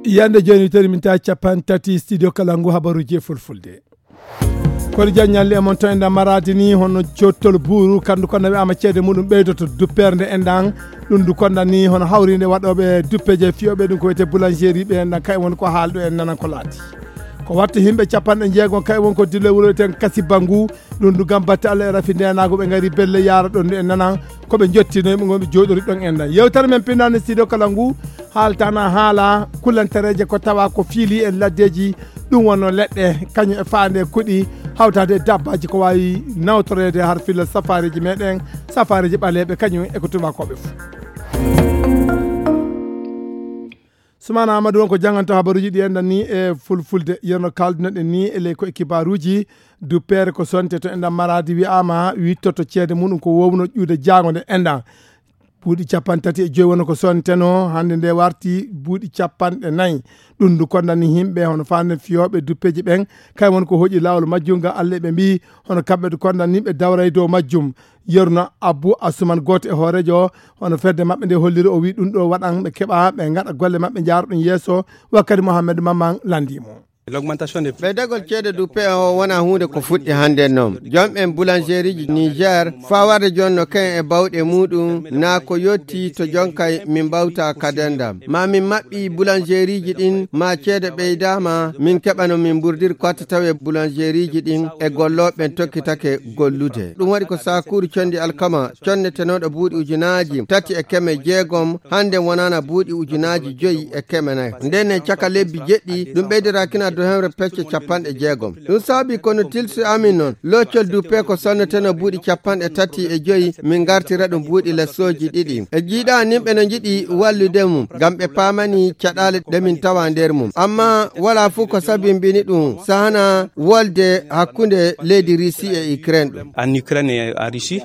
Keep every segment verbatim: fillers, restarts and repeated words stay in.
Yande jooni, tawi min ta capan tati studio kala ngu habaruji e fulfulde. Kono jan ñalli e mon to enɗan maraadi ni, hono jottol buuru, kandu konda wi'ama ceede muɗum ɓeydoto duppere nde enɗan. Ɗum du konda ni hono hawrinde waɗoɓe duppeje fiyoɓe ɗum ko wiyete boulangerie ɓe enɗan, kay won ko haalɗo en nanan ko laati. Ko watta himɓe capanɗe jeegom kay won ko dille wuro ten Kasiba ngu. Ɗum du gam batte Allah e rafi ndenago ɓe ngari belle yara ɗon en nanan ko ɓe jottino yimɓe gonɓe jooɗori ɗon enɗan. Yewtere men pinnande studio kala ngu haaltana haala kullantereje ko tawa ko fiili en laddeji. Ɗum wonno leɗɗe kañum e faande kuɗi hawtade e dabbaji ko wawi nawtorede har filla safariji meɗen, safariji ɓaleɓe kañum e ko tubakoɓe fof. Sumana Amadou won ko jannganto habaruji ɗi enɗan ni e fulfulde, yerno kaldunoɗen ni e ley ko e kibaruji. Duppere ko sonte to enɗan maraadi wi'ama wittoto ceede muɗum ko wowno ƴuude jaango nde enɗan. Buuɗi capanɗe tati e joyi wonno ko sonteno, hannde nde warti buuɗi capanɗe nayi. Ɗum du konda ni himɓe hono faande fiyoɓe duppeji ɓen, kay won ko hoƴi laawol majjum ga Allah ɓe mbi hono kamɓe du konda ni ɓe dawray dow majjum. Yerno Abou Assoumane gooto e hoorejo hono fedde maɓɓe nde holliri, o wi ɗum ɗo waɗan ɓe keɓa ɓe ngaɗa golle maɓɓe jaara ɗum yeeso. Wakkati Mohamed Maman landimo. L'augmentation des ɓeydagol ceede duppe o wona huunde ko fuɗɗi hannde noon. Joom en boulangerieji Niger fawarde jonno ken e bawɗe muɗum na ko yotti to jonkay min mbawta kadendam ma min maɓɓi boulangerieji ɗin ma ceede ɓeydama min keɓano min mburdir kotte tawe boulangerieji ɗin e golloɓe ɓen tokkitake gollude. Ɗum waɗi ko sakuru condi alkama connetenoɗo buuɗi ujunaji tati e keme jeegom, hannde wonana buuɗi ujunaji joyi e keme nayi. Nden e caka lebbi jeɗɗi ɗum ɓeydirakina do hemre pecce capanɗe jeegom. Ɗum saabi kono tilsi amin noon loccol duppe ko sonneteno buuɗi capanɗe tati e joyi min gartira ɗum buuɗi lessoji ɗiɗi. E jiiɗa nimɓe no jiɗi wallude mum ngam ɓe paamani caɗaale ɗe min tawa nder mum. Amma wala fuu ko sabimbini ɗum sahana wolde hakkunde leydi Russie e Ukraine ɗum. En Ukraine et en Russie.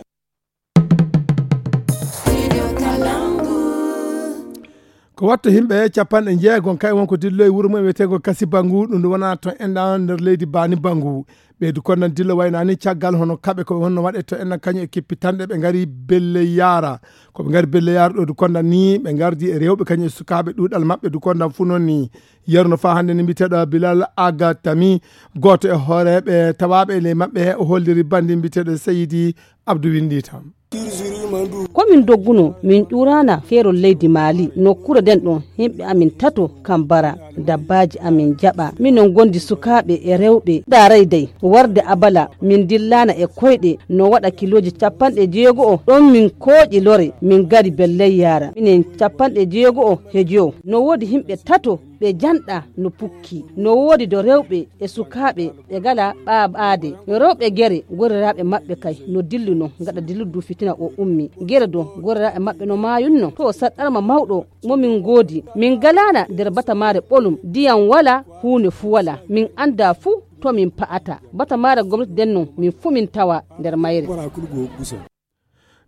Ko watta himɓe capanɗe jeegom kay won ko dilloyi wuro mum e wiyetego Kasi Bangu, ɗum ɗo wona to enɗan nder leydi Bani Bangu. Ɓeydu konnan dillo waynani caggal hono kaɓe ko honno waɗe to enɗan kañum e kippitanɗe ɓe ngari belle yaara. Ko ɓe ngari belle yaara ɗo du konnan ni ɓe ngardi e rewɓe kañum e sukaaɓe ɗuuɗal maɓɓe du konnan fu noon ni. Yeru no faa hannde ni mbiyeteeɗo Bilal Aga Tami, gooto e hooreeɓe tawaaɓe e ley maɓɓe, o holliri banndi mbiyeteeɗo Seydi Abdou Winndi tan. Ko min dogguno, min ƴuurana keerol leydi Maali, nokkuure nden ɗon, yimɓe amin tato kam bara, dabbaaji amin jaɓa. Minon gondi sukaaɓe e rewɓe, daaray dey, warde abala, min dillana e koyɗe, no waɗa kilooji capanɗe jeego'o, ɗon min kooƴi lore, min gari belley yaara. Minen capanɗe jeego'o he jowo, no woodi yimɓe tato, ɓe janɗa no pukki. No woodi do rewɓe e sukaaɓe ɓe ngala ɓaaɓaade. Rewɓe gere, goriraaɓe maɓɓe kay no dilluno, gaɗa dilludu fitina o ummi. Gere do, goriraaɓe maɓɓe no maayunno. To o saɗɗarma mawɗo mo min ngoodi, min ngalaana nder batamaare ɓolum. Ndiyam wala, huune fu wala. Min anndaa fu to min pa'ata. Batamaare gomnati nden non, min fu min tawa nder mayre.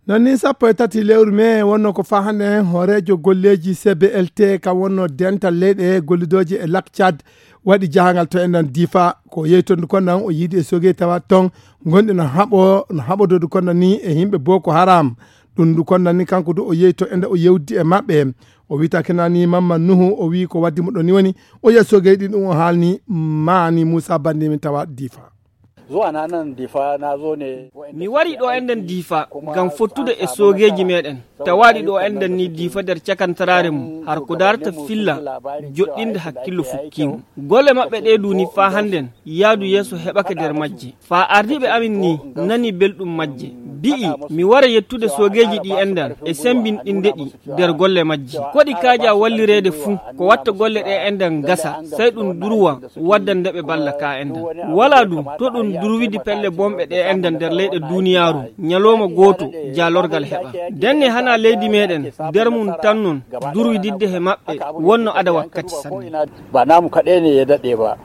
Non ni sappo e tati lewru mee wonno ko faa hannde hooreejo golleeji C B L T ka wonno dental leyɗe gollidooji e Lac Tchad waɗi jahangal to enɗan Difa. Ko yeytondu konnan o yiidi e sogey tawa ton gonɗi no haɓo, no haɓododu konnan ni e yimɓe Boko Haram. Ɗum ndu konnan ni kanko du o yeyto enɗan o yewdi e maɓɓe. O wiita kenani Mamman Nuhu o wii ko waddi mo ɗon ni woni o yiya sogey ɗin ɗum o haalni maani Moussa Bandi min tawa Difa. Zuwa na nan Difa na zo ne. Mi wari ɗo enɗan Difa ngam fottude e soogeeji meɗen. Tawaaɗi ɗo enɗan ni Difa nder cakantaraare mum har ko darata filla joɗɗinde hakkillo fukkiimo. Golle maɓɓe ɗe duni faa hannden yaadu yeeso heɓake nder majje. Faa ardiiɓe amin ni nani belɗum majje. Bi'i mi wara yettude soogeeji ɗi enɗan e sembinɗinde ɗi nder golle majji. Ko ɗi kaaja wallireede fuu ko watta golle ɗe enɗan ngasa, sey ɗum durwa waddande ɓe balla ka enɗan. Walaa du to ɗum durwidi pelle bonɓe ɗe enɗan nder leyɗe duuniyaaru, ñalooma gooto jaalorgal heɓa. Ndenne hanaa leydi meɗen nder mum tan non durwididde he maɓɓe wonno ada wakkati sanne. Ba namu kaɗai ne ya daɗe ba.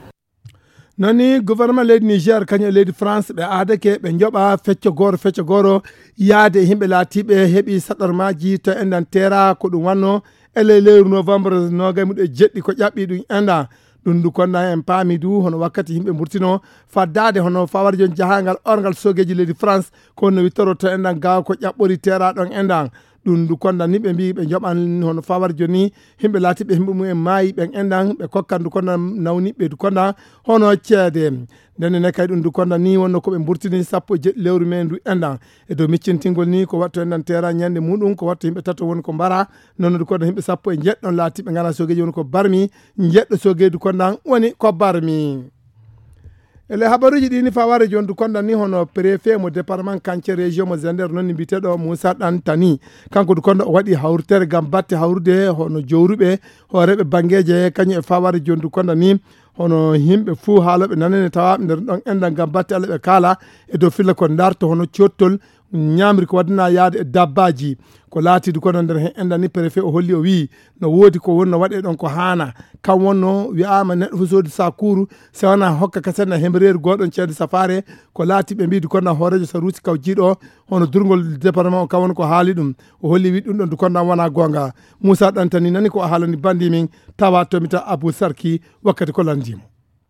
Non ni gouvernement leydi Niger kañum e leydi France ɓe aadake ɓe njoɓa fecco gooro fecco gooro yaade e yimɓe laatiiɓe heɓi saɗarmaaji to enɗan teera ko ɗum wanno e ley lewru novembre noogay muɗum e jeɗɗi ko ƴaɓɓi ɗum enɗan. Ɗum ndu konda en paami du hono wakkati yimɓe mburtino faddaade hono fawarjo jahangal orngal sogeeji leydi France, ko no wittoroto enɗan gaawa ko ƴaɓɓori teera ɗon enɗan. Ɗum ndu konda ni ɓe mbi ɓe joɓan hono fawarjo ni yimɓe laatiɓe yimɓe mumen maayi ɓen enɗan ɓe kokkan ndu konda nawniɓe ndu konda hono ceede. Nden ne kay ɗum ndu konda ni wonno ko ɓe mburtini sappo e jeɗɗi lewru me ndu enɗan. E dow miccintingol ni ko watto enɗan teera ñande muɗum ko watto yimɓe tato woni ko mbara. Noon ndu konda yimɓe sappo e jeɗɗon laatiɓe ngana sogeeji woni ko barmi. Jeɗɗo sogeeji ndu konda woni ko barmi. Ele habaruuji ɗi ni fawaare jooni ndu konda ni hono préfet mo département Kance région mo Zender noon ni mbiyeteeɗo Moussa Dantani. Kanko ndu konda o waɗi hawritere ngam batte hawrude hono jowruɓe hooreeɓe banngeeje kañum e fawaare jooni ndu konda ni hono yimɓe fuu haalooɓe nanene tawaaɓe nder ɗon enɗan ngam batte Allah ɓe kaala e dow filla ko darto hono cottol ñaamri ko waddana yaade e dabbaaji. Ko laati ndu konda nder heen enɗan ni préfet o holli o wiyi no woodi ko wonno waɗe ɗon ko haana. Kam wonno wiyaama neɗɗo fof soodi sakuuru, so wonaa hokka kasen na hembereeri gooɗon ceede safaare. Ko laati ɓe mbiyi ndu konda hooreejo Saruusi Kaw Jiiɗo hono durngol département o kam woni ko haali ɗum. O holli wi ɗum ɗon ndu konda wonaa goonga. Moussa Dantani nani ko o haalani bandi min tawa tomita Abou Sarki wakkati ko lanndimo.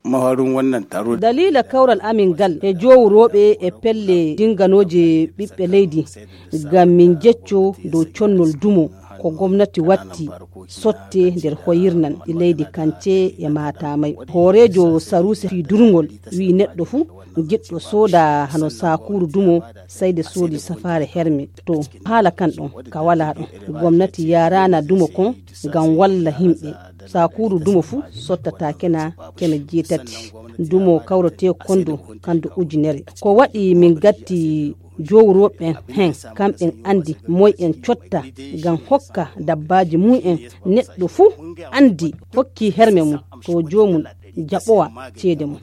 Maharin wannan taro. Dalila kawral amin ngal e jowrooɓe e pelle dinganooje ɓiɓɓe leydi, ngam min jecco dow connol dumo ko gomnati watti sotte nder hoyirnan e leydi Kance e Matamay. Hooreejo Saruusi fii durngol wi'i neɗɗo fuu jiɗɗo sooda hano sakuuru dumo sayde soodi safaare herme. To haala kan ɗon ka walaa ɗon. Gomnati yaaraana dumo kon ngam walla yimɓe. Sakuuru dumo fuu sottata kena keme jeetati. Dumo kawretee kondo kando ujunere. Ko waɗi min gatti jowrooɓe hen, kamɓen andi moy en cotta ngam hokka dabbaaji mum en. Neɗɗo fuu andi hokki herme mum to joomum jaɓowa ceede mum.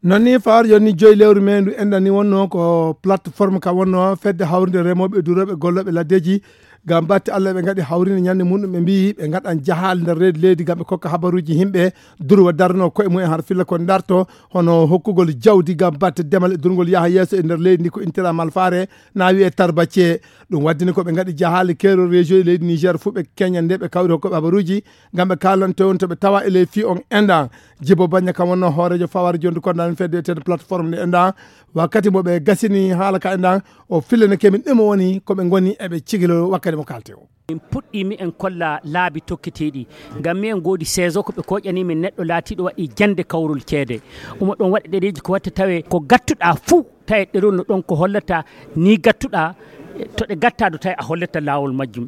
Noon ni fawaare jooni joyi lewru me ndu enɗan ni wonno ko plateforme ka wonno fedde hawrinde remooɓe e durooɓe gollooɓe laddeeji ngam batte Allah ɓe ngaɗi hawrinde ñande muɗum ɓe mbiyi ɓe ngaɗan jahaale nder reedu leydi ngam ɓe kokka habaruuji yimɓe durwa darno koye mumen har filla ko darto hono hokkugol jawdi ngam batte demal e durngol yaha yeeso e nder leydi ndi ko intira malfaare na wiye tarbace. Ɗum waddini ko ɓe ngaɗi jahaale keerol région e leydi Niger fuu ɓe keña nde ɓe kawri hokkoɓe habaruuji ngam ɓe kaalanto on to ɓe tawa e ley fii on enɗan. Jibo Baña kam wonno hooreejo fawaare jooni ndu konda en fedde eteede plateforme nde enɗan. Wakkati mo ɓe gasini haala ka enɗan o fillene kemin ɗum woni ko ɓe ngoni eɓe cigilo wakkati mo kaalte o. Min puɗɗii mi en kolla laabi tokketeeɗi ngam mi en ngoodi saison ko ɓe koƴani min neɗɗo laatiiɗo waɗi jannde kawrol ceede. Omo ɗon waɗa ɗereeji ko watta tawe ko gattuɗaa fuu tawi ɗerol no ɗon ko hollata ni gattuɗaa to ɗe gattaado tawi a hollata laawol majjum.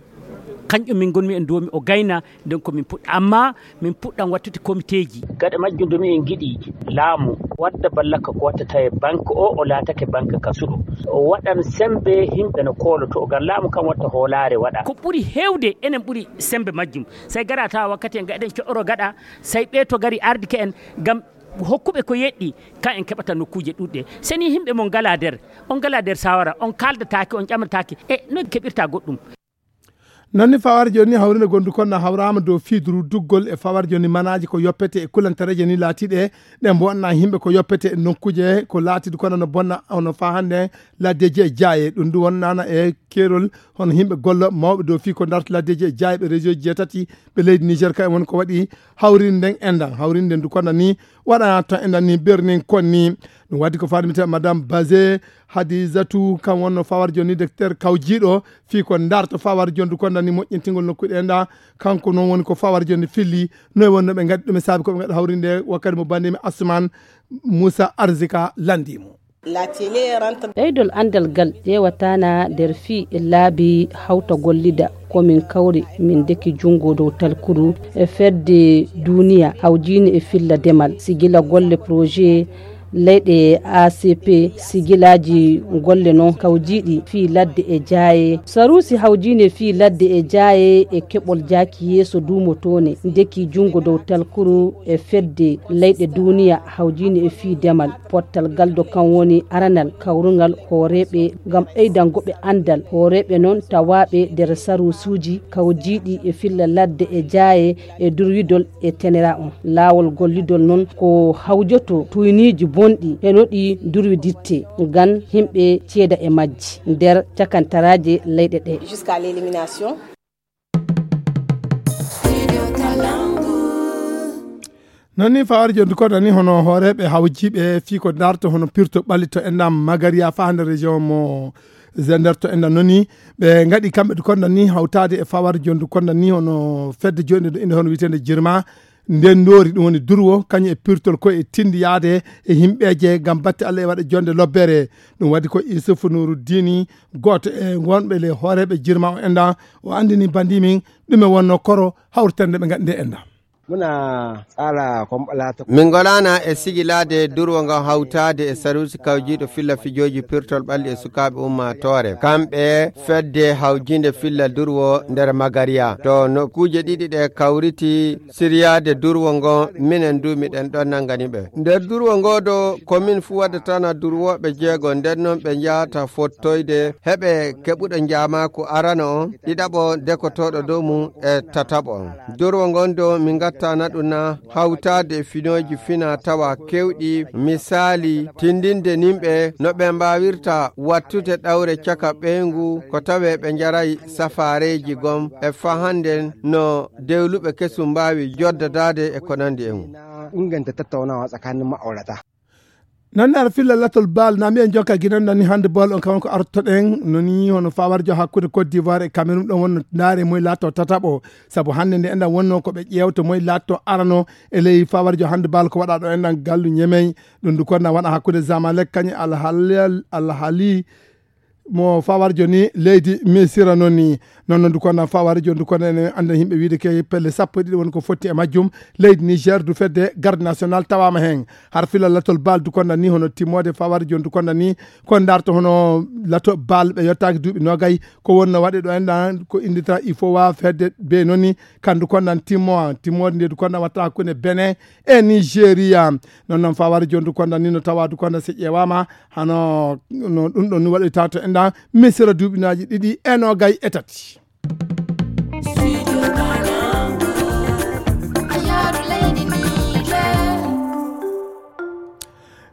Kanƴum min ngonmi en duwomi o gayna nden ko min puɗɗa amma min puɗɗan wattude komiteeji. Gaɗa majjum domi en ngiɗi laamu wadda ballaka ko watta tawi banque o o laatake banque kasuɗo o waɗan sembe yimɓe no kooloto ngam laamu kan watta hoolaare waɗa. Ko ɓuri heewde enen ɓuri sembe majjum. Sey gara tawa wakkati en gaɗen coɗoro gaɗa sey ɓe to gari ardike en ngam hokkuɓe ko yeɗɗi ka en keɓata nokkuuje ɗuɗɗe. Seni yimɓe mon ngala nder on ngala nder sawara on kaldataake on ƴamataake e no keɓirta goɗɗum. Noon ni fawaare jooni hawrinde gondu kon na hawraama dow fii duruduggol e fawaare jooni manaaji ko yoppete e kulantareeje ni laatiiɗe ɗe mbonna yimɓe ko yoppete e nokkuuje ko laatiiɗi kono no bonna hono faa hannde laddeeji e jaaye ɗum ndu wonnaana e keerol hono yimɓe golla mawɓe dow fii ko ndarta laddeeji e jaayɓe région ji jeetati ɓe leydi Niger ka en woni ko waɗi hawrinde nden enɗan hawrinde ndu kono ni waɗa to enɗan ni bernin kon ni. Ɗum waddi ko faɗmita madame Bazé Hadizatu kam wonno fawaare jooni docteur kawjiiɗo fii ko ndarta fawaare jooni ndu kono ni moƴƴintingol nokkuɗe enɗan. Kanko noon woni ko fawaare jooni filli noy wonno ɓe ngaddi ɗum e saabi ko ɓe ngaɗa hawrinde wakkati mo bandimi Asman Moussa Arzika landimo. Ɓeydol anndal ngal ƴeewataana nder fii e laabi hawta gollida ko min kawri min ndeki junngo dow talkuru e fedde duuniya hawjiini e filla demal sigila golle projet leyɗe A C P sigilaaji golle noon kawjiiɗi fii ladde e jaaye saruusi hawjiini fii ladde e jaaye e keɓol jaaki yeeso duumotoone ndeki junngo dow talkuru e fedde leyɗe duuniya hawjiini e fii demal. Pottal galdo kan woni aranal kawrungal hooreeɓe ngam ɓeydango ɓe anndal. Hooreeɓe noon tawaaɓe nder saruusuuji kawjiiɗi e filla ladde e jaaye e durwidol e tenera on. Laawol gollidol noon ko hawjoto tuyniiji bonɗi e no ɗi durwiditte ngam yimɓe ceeda e majji nder cakantaraaje leyɗe ɗe. Jusqu'à l'élimination. Noon ni fawar jonndu kono ni hono hooreeɓe hawjiiɓe fii ko darto hono pirto ɓalli to enɗam Magariya faa hannde région mo Zender to enɗam noon ni ɓe ngaɗi kamɓe du kono ni hawtaade e fawar jonndu kono ni hono fedde joɗnde ɗo inde hono wiyeteende Jirma nden ndoori ɗum woni durwo kañum e pirtol ko e tindi yaade e yimɓeeje ngam batte Allah e waɗa jonnde lobbere. Ɗum waɗi ko Isufu Nuruddini gooto e wonɓe le hooreeɓe Jirma o enɗam o anndini banndi min ɗume wonno koro hawritande ɓe ngaɗi nde enɗam. Muna tsara kwamɓala ta. Min ngolana e sigilaade durwo ngon hawtaade e saruusi kawjiiɗo filla fijooji pirtol ɓalli e sukaaɓe ummaatoore. Kamɓe fedde hawjiinde filla durwo nder Magariya. To nokkuuje ɗiɗi ɗe kawriti siryaade durwo ngon, minen du miɗen ɗon nanngani ɓe. Nder durwo ngoo ɗo, ko min fuu waddatana durwooɓe jeego, nden non ɓe njahata fottoyde, heɓe keɓuɗo njaamaaku arano on, ɗiɗaɓo dekotooɗo dow mum e tataɓo on. Durwo ngon ɗo min ngattana ɗum na hawtaade e finooji fina tawa kewɗi, misaali, tindinde nimɓe no ɓe mbaawirta wattude ɗawre caka ɓeyngu ko tawee ɓe njaray safaareeji gom e fahanden no dewluɓe kesum mbaawi joddadaade e ko nandi e mum. Inganta tattaunawa tsakanin ma'aurata. Noon ne aɗa filla latol baal na mbiyen jokka ginan nani hannde bool on kawon ko artoɗen noni hono fawarjo hakkunde Côte d'Ivoire e Cameroun ɗon wonno ndaare moy laatto tataɓo sabu hannde nde enɗan wonno ko ɓe ƴeewto moy laatto arano e ley fawarjo hannde baal ko waɗa ɗo enɗan gallu ñemey ɗum du konna waɗa hakkunde Zamalek kañum alhali alhali mo fawarjo ni leydi Misira noon ni. Noon noon du konna fawarjo du konna ene annda yimɓe wiide ke pelle sappo e ɗiɗi woni ko fotti e majjum. Leydi Niger du fedde garde national tawama hen har fila latol bal du konna ni hono timmode fawarjo du konna ni ko darto hono lato bal ɓe yottaki duuɓi nogay ko wonno waɗe ɗo enɗan ko indita il faut wa fedde be noon ni kandu konnan timmo timmode nde du konna watta hakkunde Benin e Nigeria. Noon noon faware jondu konda ni no tawa du konda si ƴeewama hano no ɗum ɗon ni waɗoyta to enɗa Misira duuɓinaaji ɗiɗi e noogay e tati.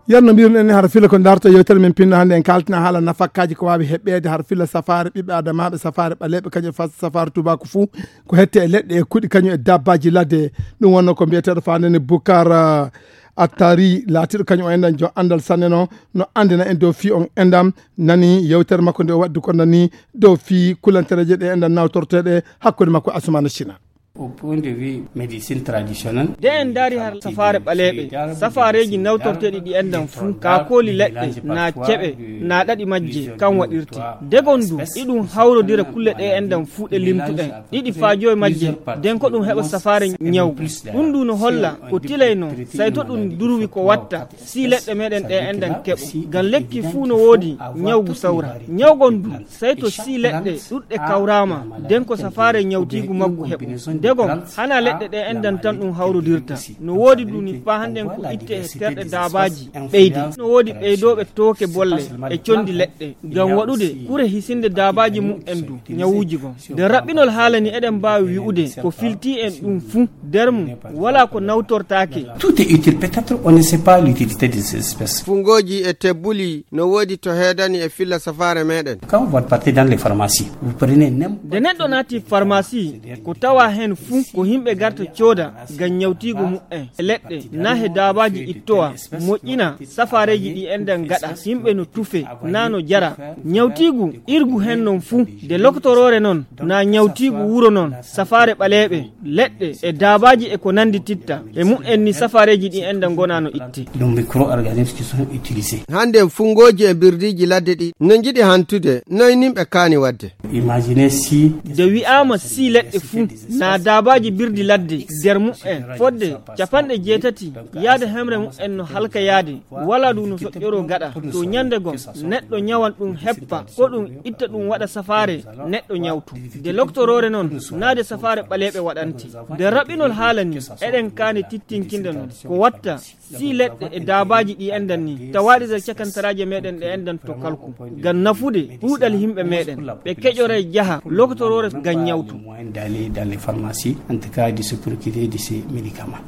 Yer no mbiruno en har fila ko darta yewtere men pinno hannde en kaltina haala nafakkaji ko wawi heɓɓede har fila safare ɓiɓɓe adamaɓe safare ɓaleɓe kañum fas safare tubaku fou ko hette e leɗɗe e kuɗi kañum e dabbaji ladde. Ɗum wonno ko mbiyeteɗo fandene Bukar Attari laatiɗo kañum o enɗan jo andal sanne no no andina en dow fi on enɗam nani yewtere makko nde o waddi ko nani dow fi kulantereje ɗe enɗan nawtorteɗe hakkunde makko Asumana China. Au point de vue médecine traditionnelle, de en daari har safaare ɓaleeɓe safaareeji nawtorteeɗi ɗi enɗan fuu kaakooli leɗɗe na ceɓe na ɗaɗi majje kan waɗirte degon du iɗum hawrodira kulle ɗe enɗan fuu ɗe limtuɗen ɗiɗi faa joyi majje den ko ɗum heɓa safaare ñawgu. Ɗum ndu no holla ko tilay noon sayto ɗum durwi ko watta si leɗɗe meɗen ɗe enɗan keɓo ngam lekki fuu no woodi ñawgu sawra ñawgon du sayto si leɗɗe ɗuɗɗe kawrama den ko safaare ñawtiigu maggu heɓo degon hana leɗɗe ɗe enɗan tan ɗum hawrodirta. No woodi duni faa hannden ko itte e terɗe daabaaji ɓeyde no woodi ɓeydooɓe tooke bolle e condi leɗɗe ngam waɗude kure hisinde daabaaji mum en du ñawuuji gon. Nde raɓɓinol haala ni eɗen mbaawi wi'ude ko filtii en ɗum fuu nder mum walaa ko nawtortaake. Tout est utile, peut-être on ne sait pas l'utilité de ces espèces. Fungooji e tebbuli no woodi to heedani e filla safaare meɗen. Quand vous partez dans les pharmacies, vous prenez n'importe nde neɗɗo naati farmasi ko tawa heen fuu ko yimɓe garta cooda ngam ñawtiigu mumen e leɗɗe na he daabaaji ittowa moƴƴina safaareeji ɗi enɗan gaɗa yimɓe no tufe na no jara ñawtiigu irgu heen noon fuu nde lokotoroore noon na ñawtiigu wuro noon safaare ɓaleeɓe leɗɗe e daabaaji e ko nanndi titta e mumen ni safaareeji ɗi enɗan ngona no itte. Ɗum micro organisme qui sont utilisés. Hannden fungooji e birdiiji ladde ɗi no njiɗi hantude noy nimɓe kaani waɗde. Imaginez si nde wi'aama si leɗɗe fuu na daabaaji birdi ladde nder mumen fodde capanɗe jeetati yaade hemre mumen no halka yaade wala du no soƴƴoroo gaɗa to ñande gom neɗɗo ñawan ɗum heppa ko ɗum itta ɗum waɗa safaare neɗɗo ñawtu nde loktoroore noon naade safaare ɓaleeɓe waɗante nde raɓɓinol haala ni eɗen kaani tittinkinde noon ko watta si leɗɗe e daabaaji ɗi enɗan ni tawaaɗi nder cakantaraaje meɗen ɗe enɗan to kalku ngam nafude ɗuuɗal yimɓe meɗen ɓe keƴoray jaha lokotoroore ngam ñawtu. Moyen d'aller dans les pharmacies, en tout cas de se procurer de ces médicaments.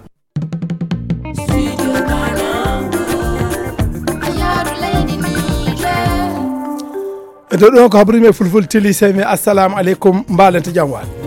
E dow ɗum ko habrimi e fulful tili sey mi assalamu aleykum mbalente jam waal.